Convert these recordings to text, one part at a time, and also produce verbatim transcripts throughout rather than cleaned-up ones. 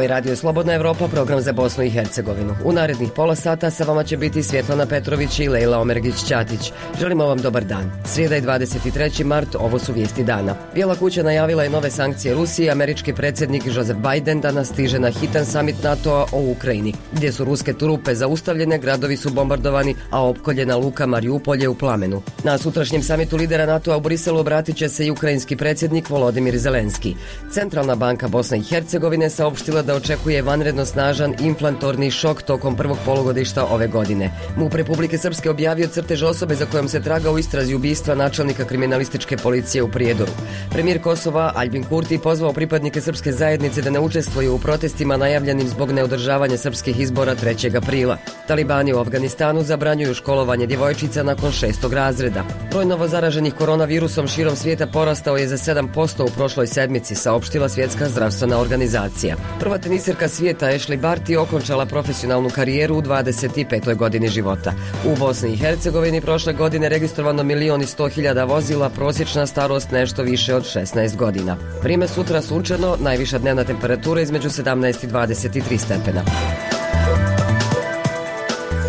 je Radio Slobodna Evropa, program za Bosnu i Hercegovinu. U narednih pola sata sa vama će biti Svjetlana Petrović i Lejla Omergić-Ćatić. Želimo vam dobar dan. Srijeda je dvadeset treći mart, ovo su vijesti dana. Bijela kuća najavila je nove sankcije Rusiji. Američki predsjednik Joseph Biden danas stiže na hitan samit NATO-a o Ukrajini. Gdje su ruske trupe zaustavljene, gradovi su bombardovani, a opkoljena luka Mariupolje je u plamenu. Na sutrašnjem samitu lidera NATO-a u Briselu obratit će se i ukrajinski predsjednik Volodimir Zelenski. Centralna banka Bosne i Hercegovine saopštila da očekuje vanredno snažan inflatorni šok tokom prvog polugodišta ove godine. MUP Republike Srpske objavio crtež osobe za kojom se traga u istrazi ubistva načelnika kriminalističke policije u Prijedoru. Premijer Kosova Aljbin Kurti pozvao pripadnike srpske zajednice da ne učestvuju u protestima najavljenim zbog neodržavanja srpskih izbora trećeg aprila. Talibani u Afganistanu zabranjuju školovanje djevojčica nakon šestog razreda. Broj novozaraženih koronavirusom širom svijeta porastao je za sedam posto u prošloj sedmici, saopštila Svjetska zdravstvena organizacija. Prva tenisirka svijeta Ashley Barty okončala profesionalnu karijeru u dvadeset petoj godini života. U Bosni i Hercegovini prošle godine registrovano milion i sto hiljada vozila, prosječna starost nešto više od šesnaest godina. Vrime sutra sunčano, najviša dnevna temperatura između sedamnaest i dvadeset tri stepena.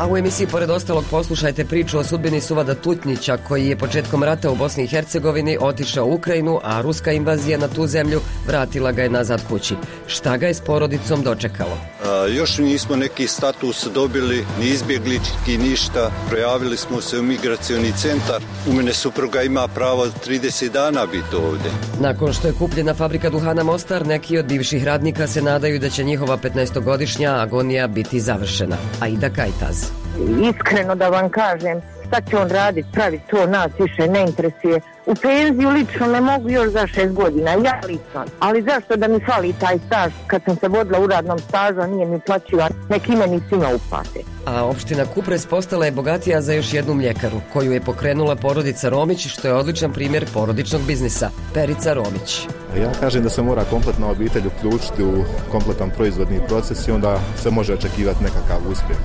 A u emisiji pored ostalog poslušajte priču o sudbini Suvada Tutnjića, koji je početkom rata u Bosni i Hercegovini otišao u Ukrajinu, a ruska invazija na tu zemlju vratila ga je nazad kući. Šta ga je s porodicom dočekalo? A, još nismo neki status dobili, ni izbjeglički, ništa. Projavili smo se u migracioni centar. U mene supruga ima pravo trideset dana biti ovdje. Nakon što je kupljena fabrika duhana Mostar, neki od bivših radnika se nadaju da će njihova petnaestogodišnja agonija biti završena. Aida Kajtaz. Iskreno da vam kažem, šta će on raditi, praviti to, nas više ne interesuje. U penziju lično ne mogu još za šest godina, ja lično. Ali zašto da mi fali taj staž, kad sam se vodila u radnom stažu, a nije mi plaćivan, neki meni svima uplate. A opština Kupres postala je bogatija za još jednu mljekaru, koju je pokrenula porodica Romić, što je odličan primjer porodičnog biznisa. Perica Romić. Ja kažem da se mora kompletna obitelj uključiti u kompletan proizvodni proces i onda se može očekivati nekakav uspjeh.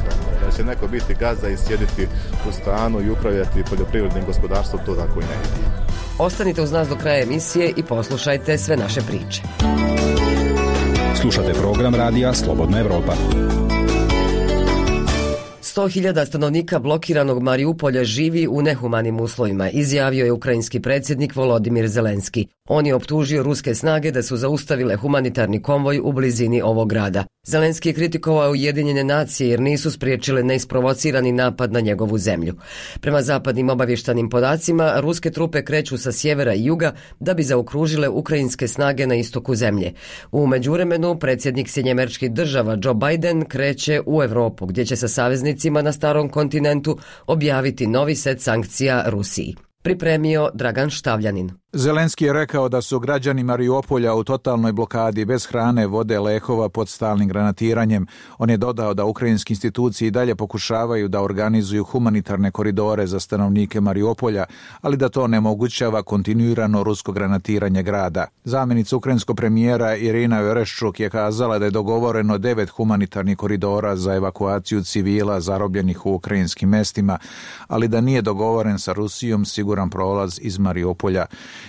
Da će neko biti gazda i sjediti u stanu i upravljati poljoprivrednim gospodarstvom, to tako i ne ide. Ostanite uz nas do kraja emisije i poslušajte sve naše priče. Slušate program radija Slobodna Evropa. sto hiljada stanovnika blokiranog Mariupolja živi u nehumanim uslovima, izjavio je ukrajinski predsjednik Volodimir Zelenski. On je optužio ruske snage da su zaustavile humanitarni konvoj u blizini ovog grada. Zelenski je kritikovao Ujedinjene nacije jer nisu spriječile neisprovocirani napad na njegovu zemlju. Prema zapadnim obavještajnim podacima, ruske trupe kreću sa sjevera i juga da bi zaokružile ukrajinske snage na istoku zemlje. U međuvremenu, predsjednik Sjedinjenih Američkih Država Joe Biden kreće u Europu, gdje će sa saveznicima na starom kontinentu objaviti novi set sankcija Rusiji. Pripremio Dragan Štavljanin. Zelenski je rekao da su građani Mariupolja u totalnoj blokadi bez hrane, vode, lekova pod stalnim granatiranjem. On je dodao da ukrajinske institucije i dalje pokušavaju da organizuju humanitarne koridore za stanovnike Mariupolja, ali da to onemogućava kontinuirano rusko granatiranje grada. Zamjenica ukrajinskog premijera Irina Vereshchuk je kazala da je dogovoreno devet humanitarnih koridora za evakuaciju civila zarobljenih u ukrajinskim mestima, ali da nije dogovoren sa Rusijom siguran prolaz iz Mariupolja.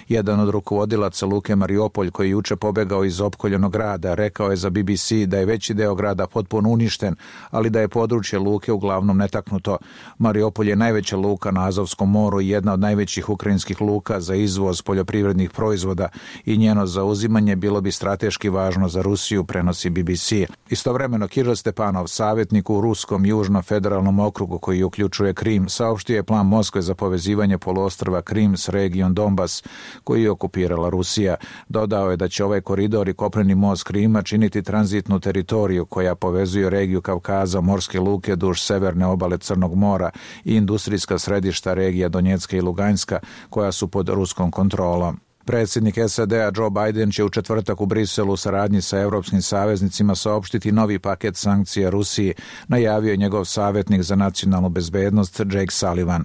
Jedan od rukovodilaca luke Mariupolj, koji je juče pobegao iz opkoljenog grada, rekao je za B B C da je veći deo grada potpuno uništen, ali da je područje luke uglavnom netaknuto. Mariupolj je najveća luka na Azovskom moru i jedna od najvećih ukrajinskih luka za izvoz poljoprivrednih proizvoda i njeno zauzimanje bilo bi strateški važno za Rusiju, prenosi B B C. Istovremeno, Kiril Stepanov, savjetnik u Ruskom južno-federalnom okrugu koji uključuje Krim, saopštio je plan Moskve za povezivanje poluostrva Krim s regijom Donbas, koji je okupirala Rusija. Dodao je da će ovaj koridor i kopneni most Krima činiti tranzitnu teritoriju koja povezuje regiju Kavkaza, morske luke duž severne obale Crnog mora i industrijska središta regija Donjecka i Luganjska, koja su pod ruskom kontrolom. Predsjednik S A D-a Joe Biden će u četvrtak u Briselu u saradnji sa europskim saveznicima saopštiti novi paket sankcija Rusiji, najavio je njegov savjetnik za nacionalnu bezbednost Jake Sullivan.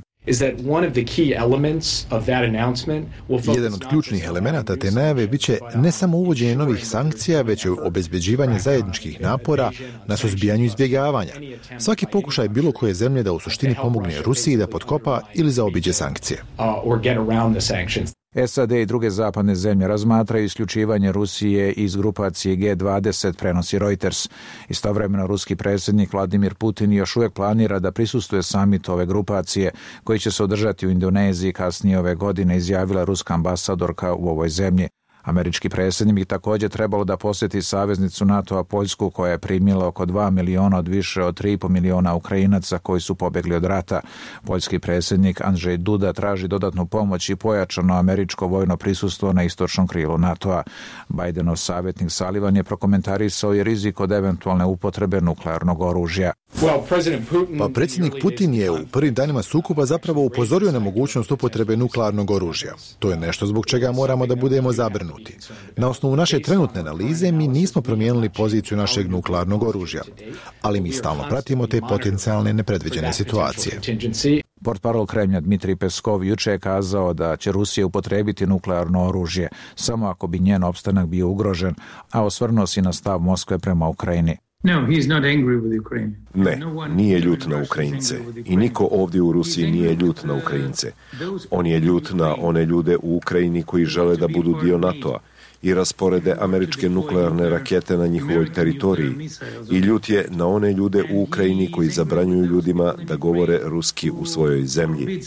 Jedan od ključnih elemenata te najave biće ne samo uvođenje novih sankcija, već i obezbeđivanje zajedničkih napora na suzbijanju izbjegavanja. Svaki pokušaj bilo koje zemlje da u suštini pomogne Rusiji da potkopa ili zaobiđe sankcije. S A D i druge zapadne zemlje razmatraju isključivanje Rusije iz grupacije G dvadeset, prenosi Reuters. Istovremeno ruski predsjednik Vladimir Putin još uvijek planira da prisustvuje samitu ove grupacije koji će se održati u Indoneziji kasnije ove godine, izjavila ruska ambasadorka u ovoj zemlji. Američki predsjednik bi također trebalo da posjeti saveznicu NATO-a Poljsku koja je primila oko dva miliona od više od tri i pol miliona Ukrajinaca koji su pobjegli od rata. Poljski predsjednik Andrzej Duda traži dodatnu pomoć i pojačano američko vojno prisustvo na istočnom krilu NATO-a. Bidenov savjetnik Sullivan je prokomentarisao i rizik od eventualne upotrebe nuklearnog oružja. Pa predsjednik Putin je u prvim danima sukoba zapravo upozorio na mogućnost upotrebe nuklearnog oružja. To je nešto zbog čega moramo da budemo zabrinuti. Na osnovu naše trenutne analize mi nismo promijenili poziciju našeg nuklearnog oružja, ali mi stalno pratimo te potencijalne nepredviđene situacije. Portparol Kremlja Dmitrij Peskov juče je kazao da će Rusija upotrijebiti nuklearno oružje samo ako bi njen opstanak bio ugrožen, a osvrnuo se na stav Moskve prema Ukrajini. Ne, nije ljut na Ukrajince i niko ovdje u Rusiji nije ljut na Ukrajince. On je ljut na one ljude u Ukrajini koji žele da budu dio NATO-a i rasporede američke nuklearne rakete na njihovoj teritoriji. I ljut je na one ljude u Ukrajini koji zabranjuju ljudima da govore ruski u svojoj zemlji.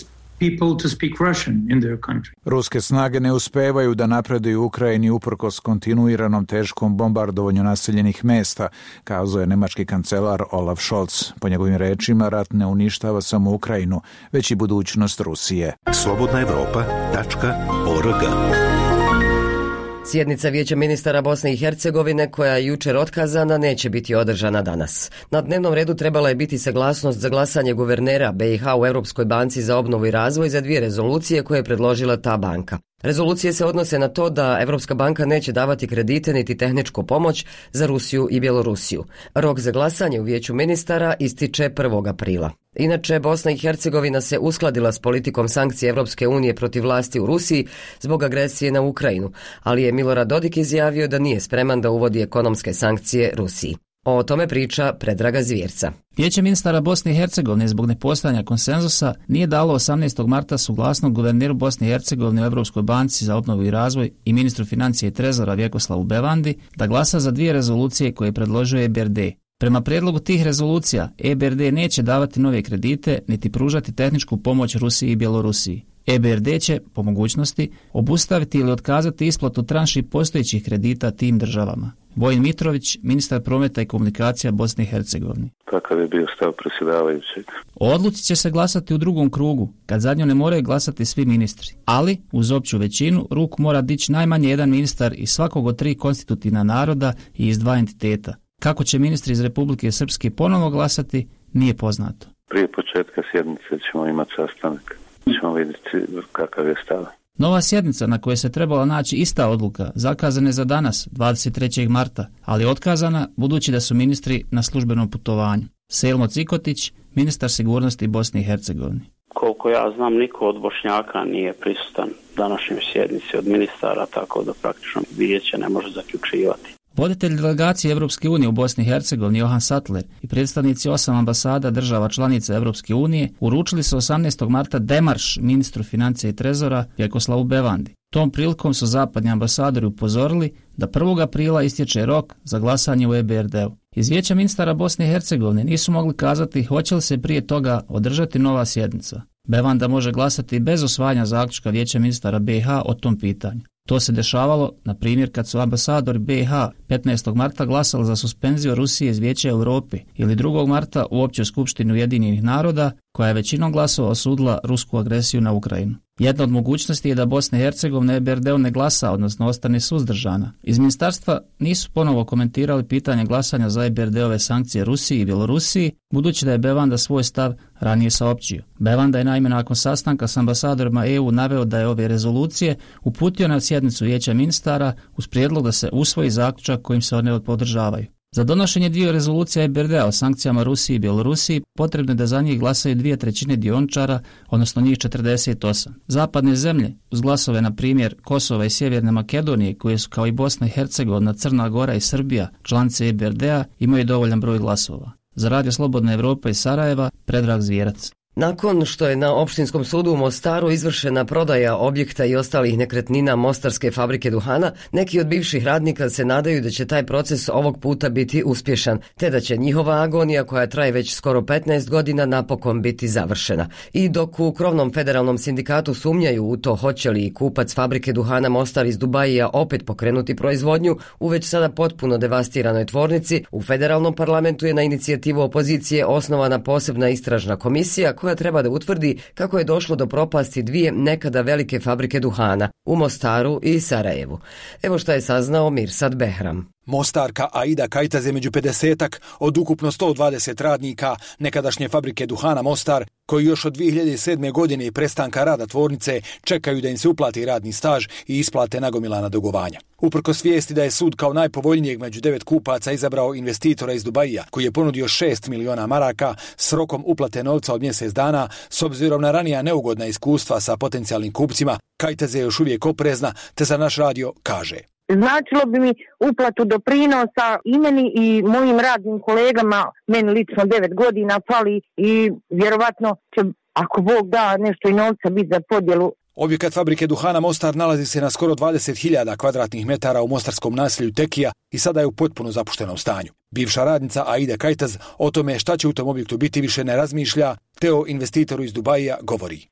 Ruske snage ne uspevaju da napreduju u Ukrajini uprkos kontinuiranom teškom bombardovanju naseljenih mesta, kazao je nemački kancelar Olaf Scholz. Po njegovim rečima, rat ne uništava samo Ukrajinu, već i budućnost Rusije. slobodna evropa tačka org. Sjednica Vijeća ministara Bosne i Hercegovine, koja je jučer otkazana, neće biti održana danas. Na dnevnom redu trebala je biti saglasnost za glasanje guvernera B i H u Europskoj banci za obnovu i razvoj za dvije rezolucije koje je predložila ta banka. Rezolucije se odnose na to da Europska banka neće davati kredite niti tehničku pomoć za Rusiju i Bjelorusiju. Rok za glasanje u Vijeću ministara ističe prvog aprila. Inače, Bosna i Hercegovina se uskladila s politikom sankcije Europske unije protiv vlasti u Rusiji zbog agresije na Ukrajinu, ali je Milorad Dodik izjavio da nije spreman da uvodi ekonomske sankcije Rusiji. O tome priča Predraga Zvjerca. Vijeće ministara Bosne i Hercegovine zbog nepostojanja konsenzusa nije dalo osamnaestog marta suglasnost guverneru Bosne i Hercegovine u Europskoj banci za obnovu i razvoj i ministru financije i trezora Vjekoslavu Bevandi da glasa za dvije rezolucije koje je predložio E B R D. Prema prijedlogu tih rezolucija, E B R D neće davati nove kredite niti pružati tehničku pomoć Rusiji i Bjelorusiji. E B R D će, po mogućnosti, obustaviti ili otkazati isplatu tranši postojećih kredita tim državama. Vojin Mitrović, ministar prometa i komunikacija Bosne i Hercegovine. Kakav je bio stav predsjedavajućeg? O odluci će se glasati u drugom krugu, kad za nju ne moraju glasati svi ministri. Ali, uz opću većinu, ruku mora dići najmanje jedan ministar iz svakog od tri konstitutivna naroda i iz dva entiteta. Kako će ministri iz Republike Srpske ponovo glasati, nije poznato. Prije početka sjednice ćemo imati sastanak. Ćemo vidjeti kakav je stav. Nova sjednica na kojoj se trebala naći ista odluka zakazana je za danas, dvadeset trećeg marta, ali otkazana budući da su ministri na službenom putovanju. Selmo Cikotić, ministar sigurnosti Bosne i Hercegovine. Koliko ja znam, niko od Bošnjaka nije prisutan današnjoj sjednici od ministara, tako da praktično vijeće ne može zaključivati. Voditelj delegacije Europske unije u Bosni i Hercegovini Johan Sattler i predstavnici osam ambasada država članica Europske unije uručili su osamnaestog marta demarš ministru financija i trezora Vjekoslavu Bevandi. Tom prilikom su zapadni ambasadori upozorili da prvog aprila istječe rok za glasanje u E B R D-u. Iz Vijeća ministara Bosne i Hercegovine nisu mogli kazati hoće li se prije toga održati nova sjednica. Bevanda može glasati bez usvajanja zaključka Vijeća ministara B i H o tom pitanju. To se dešavalo, na primjer, kad su ambasadori B i H petnaestog marta glasali za suspenziju Rusije iz Vijeća Europe ili drugog marta u Općoj skupštini Ujedinjenih naroda, koja je većinom glasova osudila rusku agresiju na Ukrajinu. Jedna od mogućnosti je da Bosna i Hercegovina E B R D-u ne glasa, odnosno ostane suzdržana. Iz ministarstva nisu ponovo komentirali pitanje glasanja za E B R D-ove sankcije Rusiji i Bjelorusiji, budući da je Bevanda svoj stav ranije saopćio. Bevanda je naime nakon sastanka s ambasadorima E U naveo da je ove rezolucije uputio na sjednicu Vijeća ministara uz prijedlog da se usvoji zaključak kojim se one podržavaju. Za donošenje dvije rezolucija E B R D-a o sankcijama Rusiji i Bjelorusiji potrebno je da za njih glasaju dvije trećine dioničara, odnosno njih četrdeset osam. Zapadne zemlje, uz glasove na primjer Kosova i Sjeverne Makedonije, koje su kao i Bosna i Hercegovina, Crna Gora i Srbija članice E B R D-a, imaju dovoljan broj glasova. Za Radio Slobodna Evropa iz Sarajeva, Predrag Zvjerac. Nakon što je na Opštinskom sudu u Mostaru izvršena prodaja objekta i ostalih nekretnina Mostarske fabrike duhana, neki od bivših radnika se nadaju da će taj proces ovog puta biti uspješan, te da će njihova agonija, koja traje već skoro petnaest godina, napokon biti završena. I dok u krovnom federalnom sindikatu sumnjaju u to hoće li kupac fabrike duhana Mostar iz Dubajija opet pokrenuti proizvodnju u već sada potpuno devastiranoj tvornici, u federalnom parlamentu je na inicijativu opozicije osnovana posebna istražna komisija koja treba da utvrdi kako je došlo do propasti dvije nekada velike fabrike duhana u Mostaru i Sarajevu. Evo šta je saznao Mirsad Behram. Mostarka Aida Kajtaz je među pedesetak od ukupno sto dvadeset radnika nekadašnje fabrike duhana Mostar, koji još od dvije hiljade sedme. godine i prestanka rada tvornice čekaju da im se uplati radni staž i isplate nagomilana dugovanja. Uprkos vijesti da je sud kao najpovoljnijeg među devet kupaca izabrao investitora iz Dubajija, koji je ponudio šest miliona maraka s rokom uplate novca od mjesec dana, s obzirom na ranija neugodna iskustva sa potencijalnim kupcima, Kajtaz je još uvijek oprezna, te za naš radio kaže: Značilo bi mi uplatu doprinosa i meni i mojim radnim kolegama, meni lično devet godina fali i vjerovatno će, ako Bog da, nešto i novca biti za podjelu. Objekat fabrike duhana Mostar nalazi se na skoro dvadeset hiljada kvadratnih metara u mostarskom naselju Tekija i sada je u potpuno zapuštenom stanju. Bivša radnica Aida Kajtaz o tome šta će u tom objektu biti više ne razmišlja, te o investitoru iz Dubajija govori.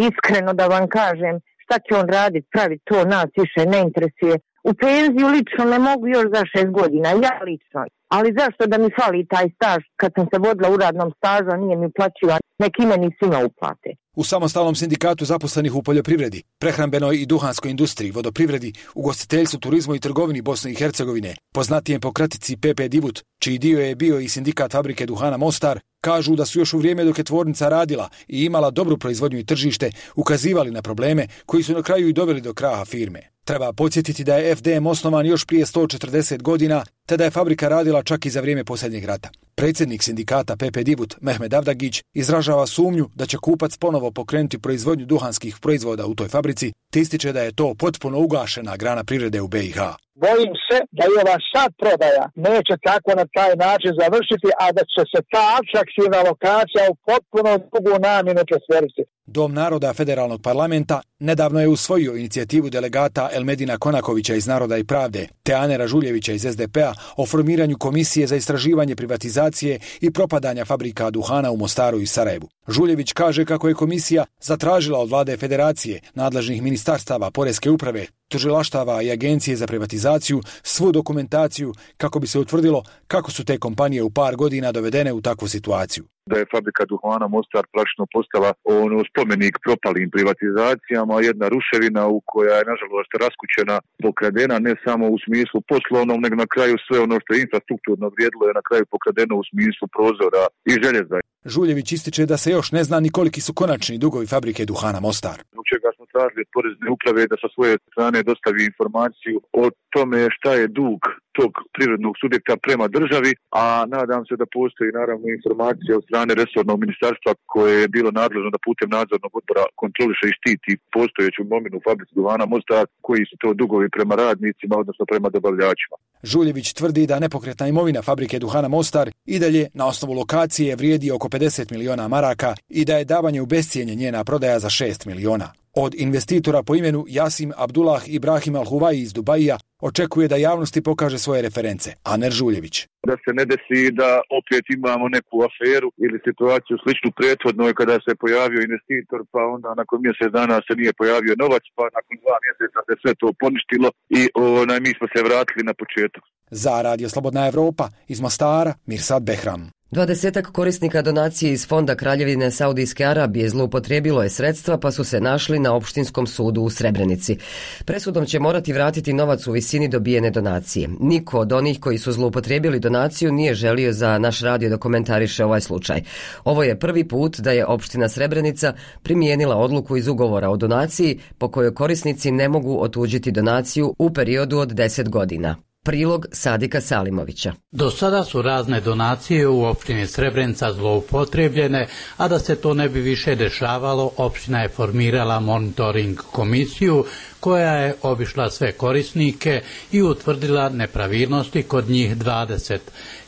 Iskreno da vam kažem, šta će on raditi, praviti, to nas više ne interesuje. U penziju lično ne mogu još za šest godina, ja lično. Ali zašto da mi fali taj staž kad sam se vodila u radnom stažu, a nije mi uplaćivan, neki meni svima uplate. U samostalnom sindikatu zaposlenih u poljoprivredi, prehrambenoj i duhanskoj industriji, vodoprivredi, ugostiteljstvu, turizmu i trgovini Bosne i Hercegovine, poznatijem po kratici P P Divut, čiji dio je bio i sindikat fabrike duhana Mostar, kažu da su još u vrijeme dok je tvornica radila i imala dobru proizvodnju i tržište, ukazivali na probleme koji su na kraju i doveli do kraha firme. Treba podsjetiti da je F D M osnovan još prije sto četrdeset godina, te da je fabrika radila čak i za vrijeme posljednjeg rata. Predsjednik sindikata P P Divut, Mehmed Avdagić, izražava sumnju da će kupac ponovo pokrenuti proizvodnju duhanskih proizvoda u toj fabrici, te ističe da je to potpuno ugašena grana privrede u B i H. Bojim se da i ova sad prodaja neće tako na taj način završiti, a da će se ta atraktivna lokacija u potpuno drugu namjenu presveriti. Dom naroda federalnog parlamenta nedavno je usvojio inicijativu delegata Elmedina Konakovića iz Naroda i pravde te Anera Žuljevića iz S D P-a o formiranju komisije za istraživanje privatizacije i propadanja fabrika duhana u Mostaru i Sarajevu. Žuljević kaže kako je komisija zatražila od vlade federacije, nadležnih ministarstava, poreske uprave, tužilaštava i agencije za privatizaciju svu dokumentaciju kako bi se utvrdilo kako su te kompanije u par godina dovedene u takvu situaciju. Da je fabrika duhana Mostar praktično postala ono spomenik propalim privatizacijama, jedna ruševina u koja je nažalost raskućena, pokradena ne samo u smislu poslovnom, nego na kraju sve ono što je infrastrukturno vrijedilo je na kraju pokradeno u smislu prozora i željeza. Žuljević ističe da se još ne zna ni koliki su konačni dugovi fabrike duhana Mostar. Zbog čega smo tražili od porezne uprave da sa svoje strane dostavi informaciju o tome šta je dug tog privrednog subjekta prema državi, a nadam se da postoji naravno informacija od strane resornog ministarstva koje je bilo nadležno da putem nadzornog odbora kontroliše i štiti postojeću imovinu fabrici duhana Mostar, koji su to dugovi prema radnicima, odnosno prema dobavljačima. Žuljević tvrdi da nepokretna imovina fabrike duhana Mostar i dalje na osnovu lokacije vrijedi oko pedeset miliona maraka i da je davanje u bescijenje njena prodaja za šest miliona. Od investitora po imenu Jasim Abdullah Ibrahim Al-Huvaji iz Dubajija očekuje da javnosti pokaže svoje reference. Aner Žuljević. Da se ne desi da opet imamo neku aferu ili situaciju sličnu prethodnoj kada se pojavio investitor, pa onda nakon mjesec dana se nije pojavio novac, pa nakon dva mjeseca se sve to poništilo i onaj, mi smo se vratili na početak. Za Radio Slobodna Evropa iz Mostara, Mirsad Behram. Dvadesetak korisnika donacije iz Fonda Kraljevine Saudijske Arabije zloupotrijebilo je sredstva pa su se našli na Opštinskom sudu u Srebrenici. Presudom će morati vratiti novac u visini dobijene donacije. Niko od onih koji su zloupotrijebili donaciju nije želio za naš radio da komentariše ovaj slučaj. Ovo je prvi put da je Opština Srebrenica primijenila odluku iz ugovora o donaciji po kojoj korisnici ne mogu otuđiti donaciju u periodu od deset godina. Prilog Sadika Salimovića. Do sada su razne donacije u opštini Srebrenica zloupotrijebljene, a da se to ne bi više dešavalo, opština je formirala monitoring komisiju koja je obišla sve korisnike i utvrdila nepravilnosti kod njih dvadeset,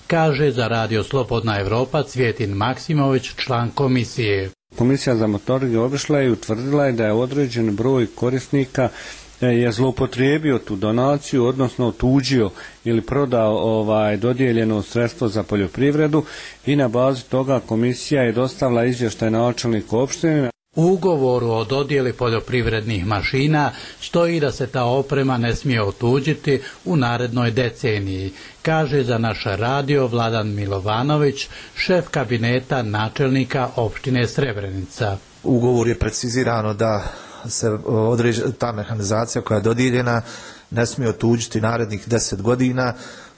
kaže za Radio Slobodna Evropa Cvjetin Maksimović, član komisije. Komisija za monitoring obišla je i utvrdila je da je određen broj korisnika je zloupotrijebio tu donaciju, odnosno otuđio ili prodao ovaj dodijeljeno sredstvo za poljoprivredu i na bazi toga komisija je dostavila izvještaj načelniku opštine. U ugovoru o dodjeli poljoprivrednih mašina stoji da se ta oprema ne smije otuđiti u narednoj deceniji, kaže za naš radio Vladan Milovanović, šef kabineta načelnika opštine Srebrenica. U ugovoru je precizirano da se određa, ta mehanizacija koja je dodijeljena ne smije otuđiti narednih deset godina,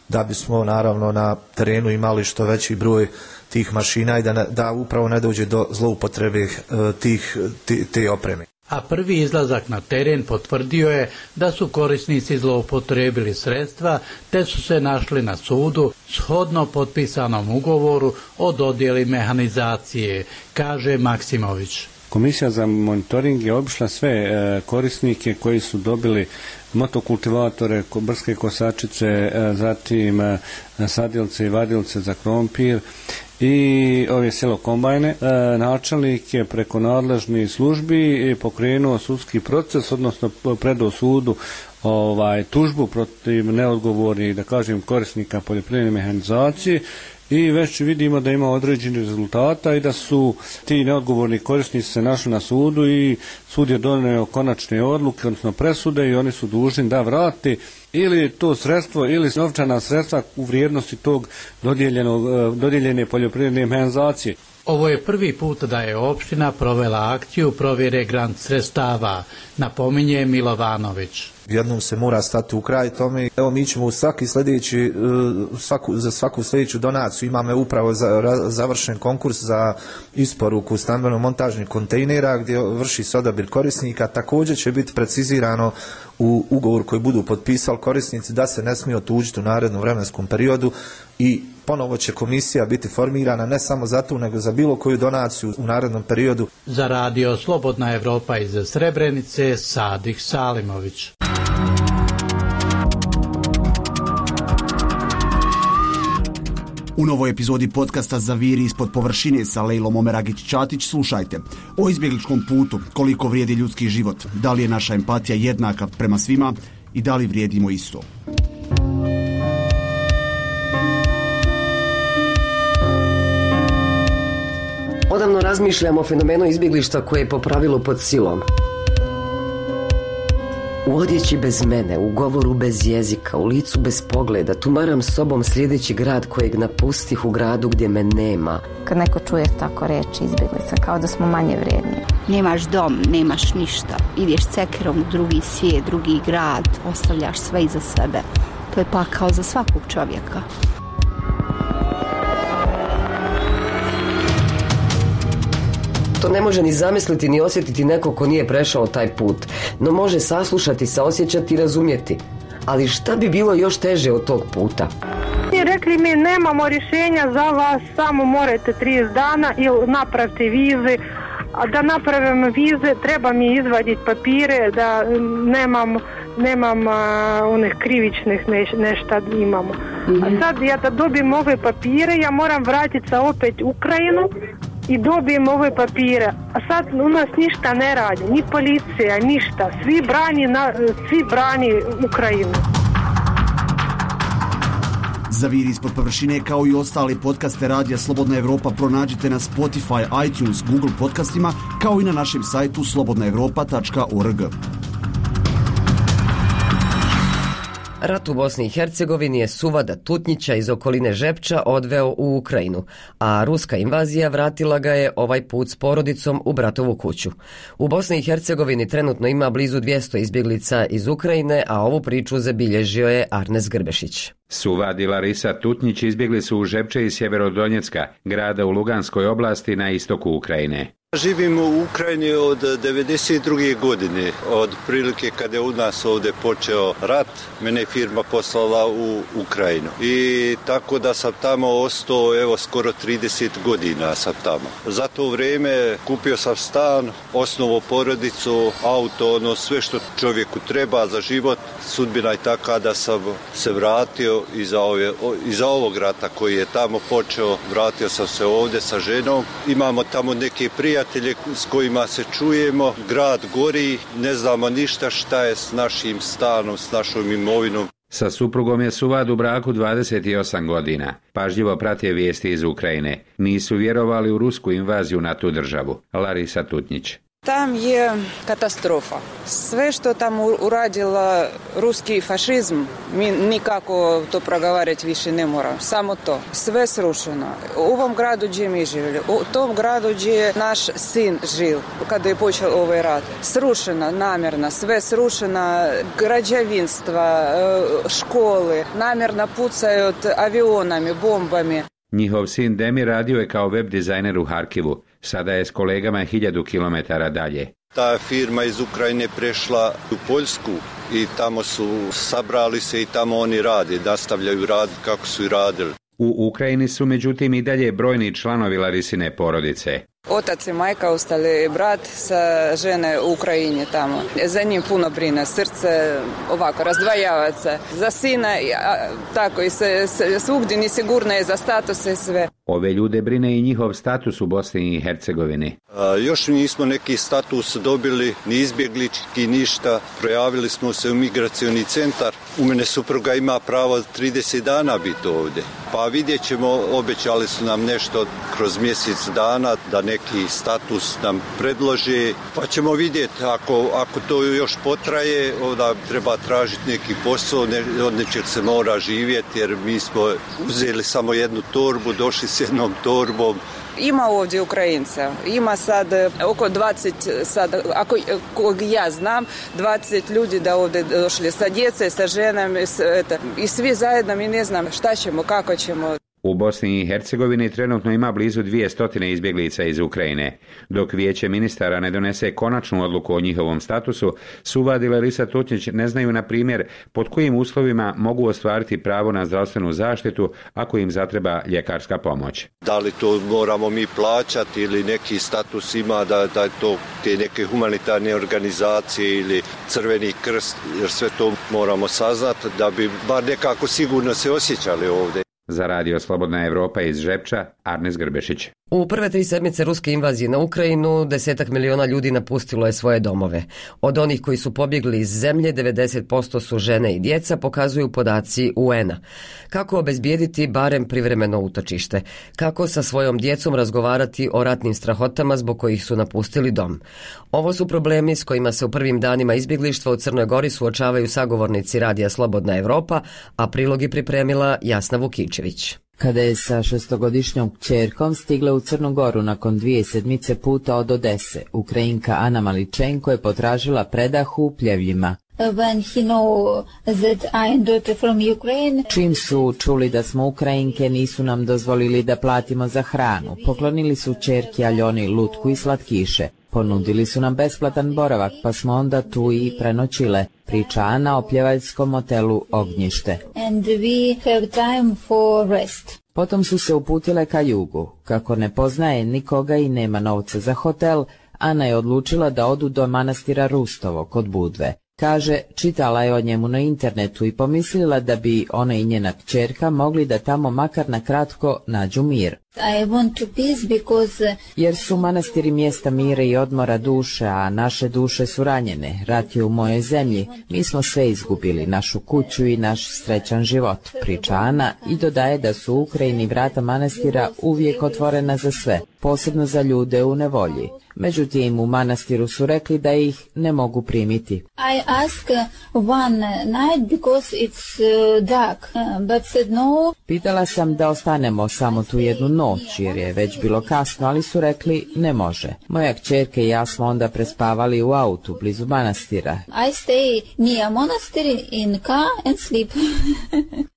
da bismo naravno na terenu imali što veći broj tih mašina i da, ne, da upravo ne dođe do zloupotrebe tih, te, te opreme. A prvi izlazak na teren potvrdio je da su korisnici zloupotrebili sredstva te su se našli na sudu shodno potpisanom ugovoru o dodjeli mehanizacije, kaže Maksimović. Komisija za monitoring je obišla sve e, korisnike koji su dobili motokultivatore, brske kosačice, e, zatim e, sadilce i vadilce za krompir i ove selo kombajne. E, načelnik je preko nadležnih službi pokrenuo sudski proces, odnosno predao sudu ovaj, tužbu protiv neodgovornih, da kažem, korisnika poljoprivredne mehanizacije. I već vidimo da ima određeni rezultata i da su ti neodgovorni korisnici se našli na sudu i sud je donio konačne odluke, odnosno presude i oni su dužni da vrati ili to sredstvo ili novčana sredstva u vrijednosti tog dodijeljene poljoprivredne mehanizacije. Ovo je prvi put da je opština provela akciju provjere grant sredstava, napominje Milovanović. Jednom se mora stati u kraj tome. Evo mi ćemo u svaki sljedeći, svaku, za svaku sljedeću donaciju imamo upravo za, završen konkurs za isporuku stambeno-montažnih kontejnera gdje vrši se odabir korisnika. Također će biti precizirano u ugovor koji budu potpisali korisnici da se ne smije otuđiti u narednom vremenskom periodu i ponovo će komisija biti formirana ne samo za tu nego za bilo koju donaciju u narednom periodu. Za radio Slobodna Evropa iz Srebrenice, Sadih Salimović. U novoj epizodi podcasta Zaviri ispod površine sa Lejlom Omeragić-Ćatić slušajte o izbjegličkom putu, koliko vrijedi ljudski život, da li je naša empatija jednaka prema svima i da li vrijedimo isto. Odavno razmišljamo o fenomenu izbjeglištva koje je po pravilu pod silom. U odjeći bez mene, u govoru bez jezika, u licu bez pogleda, tumaram sobom sljedeći grad kojeg napustih u gradu gdje me nema. Kad neko čuje tako reći izbjeglica, kao da smo manje vrijedni. Nemaš dom, nemaš ništa, ideš cekerom u drugi svijet, drugi grad, ostavljaš sve iza sebe. To je pakao za svakog čovjeka. To ne može ni zamisliti ni osjetiti neko ko nije prešao taj put, no može saslušati, saosjećati i razumjeti. Ali šta bi bilo još teže od tog puta? I rekli mi nemamo rješenja za vas, samo morate trideset dana ili napravite vize. A da napravim vize treba mi izvaditi papire da nemam, nemam a, onih krivičnih neš, nešta imamo. Mm-hmm. A sad ja da dobijem ove papire ja moram vratiti se opet u Ukrajinu i dobijem ove papire. A sad u nas ništa ne radi, ni policija, ništa. Svi brani, na, svi brani Ukrajinu. Zaviri ispod površine kao i ostali podcaste Radija Slobodna Evropa pronađite na Spotify, iTunes, Google podcastima kao i na našem sajtu slobodna evropa tačka org. Rat u Bosni i Hercegovini je Suvada Tutnjića iz okoline Žepča odveo u Ukrajinu, a ruska invazija vratila ga je ovaj put s porodicom u bratovu kuću. U Bosni i Hercegovini trenutno ima blizu dvjesto izbjeglica iz Ukrajine, a ovu priču zabilježio je Arnes Grbešić. Suvad i Larisa Tutnjić izbjegli su u Žepče iz Sjeverodonjecka, grada u Luganskoj oblasti na istoku Ukrajine. Živim u Ukrajini od devedeset druge godine, od prilike kada je u nas ovdje počeo rat, mene je firma poslala u Ukrajinu. I tako da sam tamo ostao, evo, skoro trideset godina sam tamo. Za to vrijeme kupio sam stan, osnovo porodicu, auto, ono sve što čovjeku treba za život. Sudbina je taka da sam se vratio iza, ove, iza ovog rata koji je tamo počeo. Vratio sam se ovdje sa ženom. Imamo tamo neke prijatelje prijatelje s kojima se čujemo, grad gori, ne znamo ništa šta je s našim stanom, s našom imovinom. Sa suprugom je Suvad u braku dvadeset osam godina. Pažljivo prate vijesti iz Ukrajine. Nisu vjerovali u rusku invaziju na tu državu. Larisa Tutnjić. Tam je katastrofa. Sve što tam uradila ruski fašizm, mi nikako to progovarati više ne moramo. Samo to. Sve srušeno. U ovom gradu gdje mi živjeli, u tom gradu gdje je naš sin živ, kada je počeo ovaj rat. Srušeno, namjerno, sve srušeno, građevinstva, škole, namjerno pucaju avionami, bombami. Njihov sin Demi radio je kao web dizajner u Harkivu. Sada je s kolegama hiljadu kilometara dalje. Ta firma iz Ukrajine prešla u Poljsku i tamo su sabrali se i tamo oni rade, nastavljaju raditi kako su i radili. U Ukrajini su međutim i dalje brojni članovi Larisine porodice. Otac i majka ostali, brat sa žene u Ukrajini tamo. Za njim puno brine, srce ovako razdvajava se. Za sina, tako i se, se svugdje nesigurno je za statuse i sve. Ove ljude brine i njihov status u Bosni i Hercegovini. A, još nismo neki status dobili, ni izbjeglički, ništa. Projavili smo se u migracioni centar. U mene supruga ima pravo trideset dana biti ovdje. Pa vidjet ćemo, obećali su nam nešto kroz mjesec dana da neki status nam predlože. Pa ćemo vidjeti, ako, ako to još potraje, onda treba tražiti neki posao, ne, od nečeg se mora živjeti, jer mi smo uzeli samo jednu torbu, došli s jednom torbom. Ima ovdje Ukrajinca, ima sad oko dvadeset, sad, ako kog ja znam, dvadeset ljudi da ovdje došli sa djece, sa ženama i svi zajedno mi ne znam šta ćemo, kako ćemo. U Bosni i Hercegovini trenutno ima blizu dvije stotine izbjeglica iz Ukrajine. Dok vijeće ministara ne donese konačnu odluku o njihovom statusu, Suvad i Larisa Tutnjić ne znaju, na primjer, pod kojim uslovima mogu ostvariti pravo na zdravstvenu zaštitu ako im zatreba ljekarska pomoć. Da li to moramo mi plaćati ili neki status ima da, da to te neke humanitarne organizacije ili Crveni krst, jer sve to moramo saznati da bi bar nekako sigurno se osjećali ovdje. Za radio Slobodna Evropa iz Žepča, Arnes Grbešić. U prve tri sedmice ruske invazije na Ukrajinu desetak miliona ljudi napustilo je svoje domove. Od onih koji su pobjegli iz zemlje, devedeset posto su žene i djeca, pokazuju podaci U N-a. Kako obezbijediti barem privremeno utočište? Kako sa svojom djecom razgovarati o ratnim strahotama zbog kojih su napustili dom? Ovo su problemi s kojima se u prvim danima izbjeglištva u Crnoj Gori suočavaju sagovornici radija Slobodna Evropa, a prilog je pripremila Jasna Vukičević. Kada je sa šestogodišnjom kćerkom stigla u Crnu Goru nakon dvije sedmice puta od Odese, Ukrajinka Ana Maličenko je potražila predah u Pljevljima. Čim su čuli da smo Ukrajinke, nisu nam dozvolili da platimo za hranu. Poklonili su kćerki Aljoni lutku i slatkiše. Ponudili su nam besplatan boravak, pa smo onda tu i prenoćile, priča Ana o pljevaljskom hotelu Ognjište. And we have time for rest. Potom su se uputile ka jugu. Kako ne poznaje nikoga i nema novca za hotel, Ana je odlučila da odu do manastira Rustovo kod Budve. Kaže, čitala je o njemu na internetu i pomislila da bi ona i njena kćerka mogli da tamo makar na kratko nađu mir. I want to peace because... Jer su manastiri mjesta mira i odmora duše, a naše duše su ranjene. Rat je u mojoj zemlji. Mi smo sve izgubili, našu kuću i naš srećan život, priča Ana i dodaje da su u Ukrajini vrata manastira uvijek otvorena za sve, posebno za ljude u nevolji. Međutim, u manastiru su rekli da ih ne mogu primiti. I ask one night because it's dark, but said no. Pitala sam da ostanemo samo tu jednu noć, jer je već bilo kasno, ali su rekli ne može. Moja kćerka i ja smo onda prespavali u autu blizu manastira. I stay near monastery in car and sleep.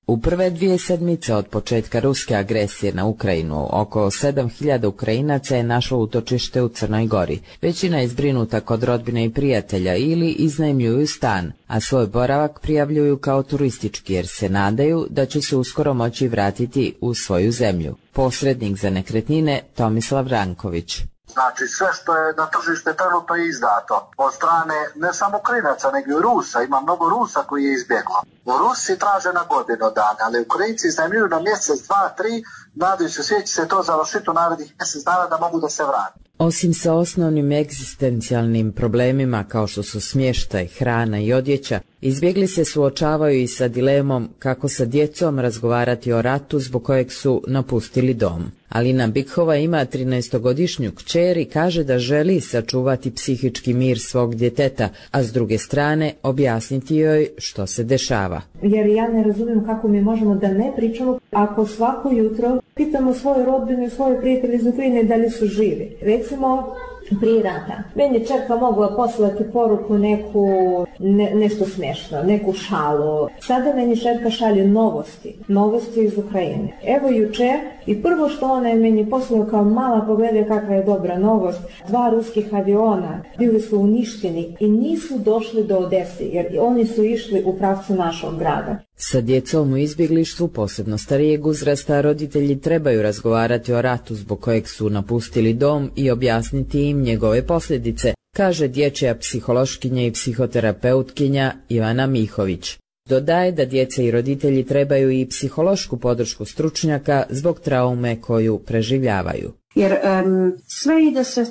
U prve dvije sedmice od početka ruske agresije na Ukrajinu, oko sedam hiljada Ukrajinaca je našlo utočište u Crnoj Gori. Većina je zbrinuta kod rodbine i prijatelja ili iznajmljuju stan, a svoj boravak prijavljuju kao turistički jer se nadaju da će se uskoro moći vratiti u svoju zemlju. Posrednik za nekretnine Tomislav Ranković. Znači sve što je na tržište trenutno je izdato od strane ne samo Ukrajinaca nego i Rusa, ima mnogo Rusa koji je izbjeglo. Rusi traže na godinu dana, ali Ukrajinci iznajmljuju na mjesec, dva, tri, nadaju se svijet će se to završiti u narednih mjesec dana da mogu da se vrati. Osim sa osnovnim egzistencijalnim problemima kao što su smještaj, hrana i odjeća, izbjegli se suočavaju i sa dilemom kako sa djecom razgovarati o ratu zbog kojeg su napustili dom. Alina Bikhova ima trinaestogodišnju kćer i kaže da želi sačuvati psihički mir svog djeteta, a s druge strane objasniti joj što se dešava. Jer ja ne razumijem kako mi možemo da ne pričamo ako svako jutro pitamo svoje rodbine i svoje prijatelje iz Ukrajine da li su živi. Recimo, prije rata. Meni je čerka mogla poslati poruku neku, ne, nešto smiješno, neku šalu. Sada meni čerka šalje novosti, novosti iz Ukrajine. Evo jučer i prvo što ona je meni poslala kao mala, pogledaj kakva je dobra novost. Dva ruskih aviona bili su uništeni i nisu došli do Odese jer oni su išli u pravcu našog grada. Sa djecom u izbjeglištvu, posebno starijeg uzrasta, roditelji trebaju razgovarati o ratu zbog kojeg su napustili dom i objasniti im njegove posljedice, kaže dječja psihološkinja i psihoterapeutkinja Ivana Mihović. Dodaje da djeca i roditelji trebaju i psihološku podršku stručnjaka zbog traume koju preživljavaju. Jer um, sve ide se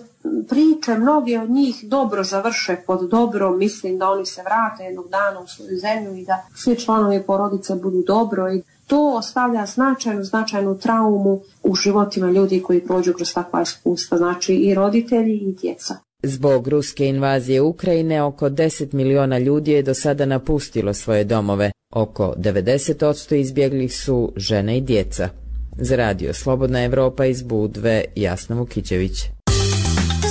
priče, mnogi od njih dobro završe pod dobro, mislim da oni se vrate jednog dana u svoju zemlju i da svi članovi porodice budu dobro i to ostavlja značajnu, značajnu traumu u životima ljudi koji prođu kroz takva iskustva, znači i roditelji i djeca. Zbog ruske invazije Ukrajine oko deset miliona ljudi je do sada napustilo svoje domove. Oko devedeset posto izbjeglih su žene i djeca. Za radio Slobodna Evropa iz Budve, Jasna Vukićević.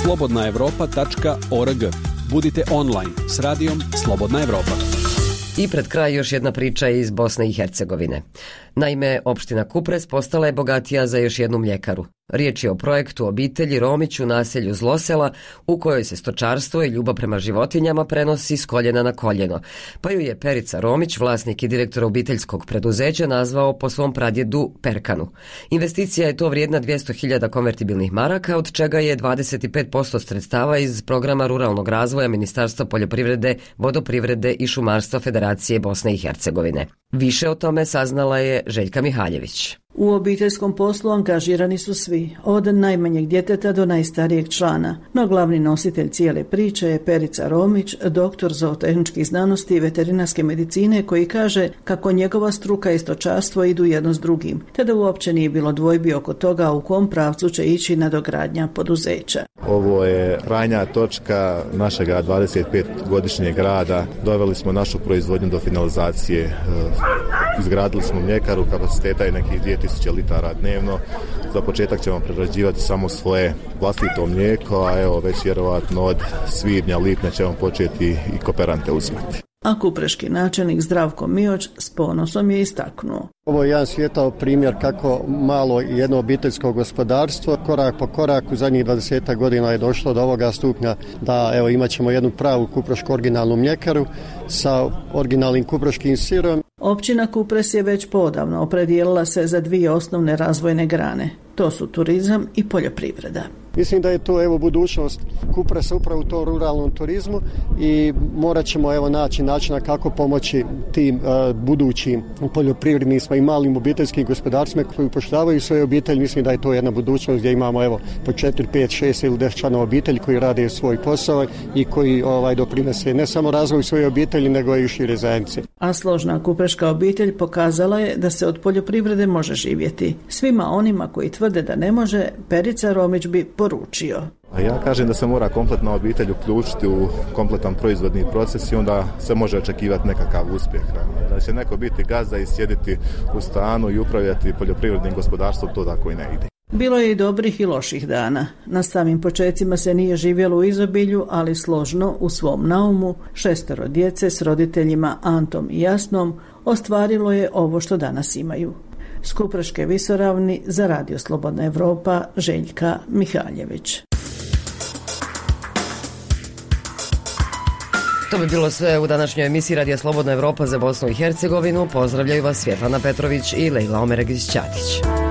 slobodna evropa tačka org. Budite online s radijom Slobodna Evropa. I pred kraj još jedna priča iz Bosne i Hercegovine. Naime, opština Kupres postala je bogatija za još jednu mljekaru. Riječ je o projektu obitelji Romić u naselju Zlosela, u kojoj se stočarstvo i ljubav prema životinjama prenosi s koljena na koljeno. Pa ju je Perica Romić, vlasnik i direktor obiteljskog preduzeća, nazvao po svom pradjedu Perkanu. Investicija je to vrijedna dvjesto hiljada konvertibilnih maraka, od čega je dvadeset pet posto sredstava iz programa ruralnog razvoja Ministarstva poljoprivrede, vodoprivrede i šumarstva Federacije Bosne i Hercegovine. Više o tome saznala je Željka Mihaljević. U obiteljskom poslu angažirani su svi, od najmanjeg djeteta do najstarijeg člana, no glavni nositelj cijele priče je Perica Romić, doktor zootehničkih znanosti i veterinarske medicine, koji kaže kako njegova struka i stočarstvo idu jedno s drugim, te da uopće nije bilo dvojbi oko toga u kom pravcu će ići nadogradnja poduzeća. Ovo je krajnja točka našega dvadeset pet godišnjeg rada. Doveli smo našu proizvodnju do finalizacije. Izgradili smo mljekaru, kapaciteta je nekih dvije tisuće litara dnevno. Za početak ćemo prerađivati samo svoje vlastito mlijeko, a evo već vjerovatno od svibnja, lipnja ćemo početi i kooperante uzimati. A kupreški načelnik Zdravko Mioć s ponosom je istaknuo. Ovo je jedan svijetao primjer kako malo jedno obiteljsko gospodarstvo korak po korak u zadnjih dvadeset godina je došlo do ovoga stupnja da evo imat ćemo jednu pravu kuprešku originalnu mljekaru sa originalnim kupreškim sirom. Općina Kupres je već podavno opredijelila se za dvije osnovne razvojne grane. To su turizam i poljoprivreda. Mislim da je to evo budućnost Kupresa upravo u tom ruralnom turizmu i morat ćemo evo naći načina kako pomoći tim uh, budućim poljoprivrednicima i malim obiteljskim gospodarstvima koji upošljavaju svoje obitelji. Mislim da je to jedna budućnost gdje imamo evo po četiri, pet, šest ili deset članova obitelji koji rade svoj posao i koji ovaj doprinose ne samo razvoju svoje obitelji nego i šire zajednice. A složna kupreška obitelj pokazala je da se od poljoprivrede može živjeti. Svima onima koji tvrde da ne može, Perica Romić bi poručio. A ja kažem da se mora kompletna obitelj uključiti u kompletan proizvodni proces i onda se može očekivati nekakav uspjeh. Da će neko biti gazda i sjediti u stanu i upravljati poljoprivrednim gospodarstvom, to tako i ne ide. Bilo je i dobrih i loših dana. Na samim počecima se nije živjelo u izobilju, ali složno u svom naumu šestero djece s roditeljima Antom i Jasnom ostvarilo je ovo što danas imaju. S Kupreške visoravni za radio Slobodna Evropa, Željka Mihaljević. To bi bilo sve u današnjoj emisiji Radija Slobodna Evropa za Bosnu i Hercegovinu. Pozdravljaju vas Svjetlana Petrović i Lejla Omeregić-Ćatić.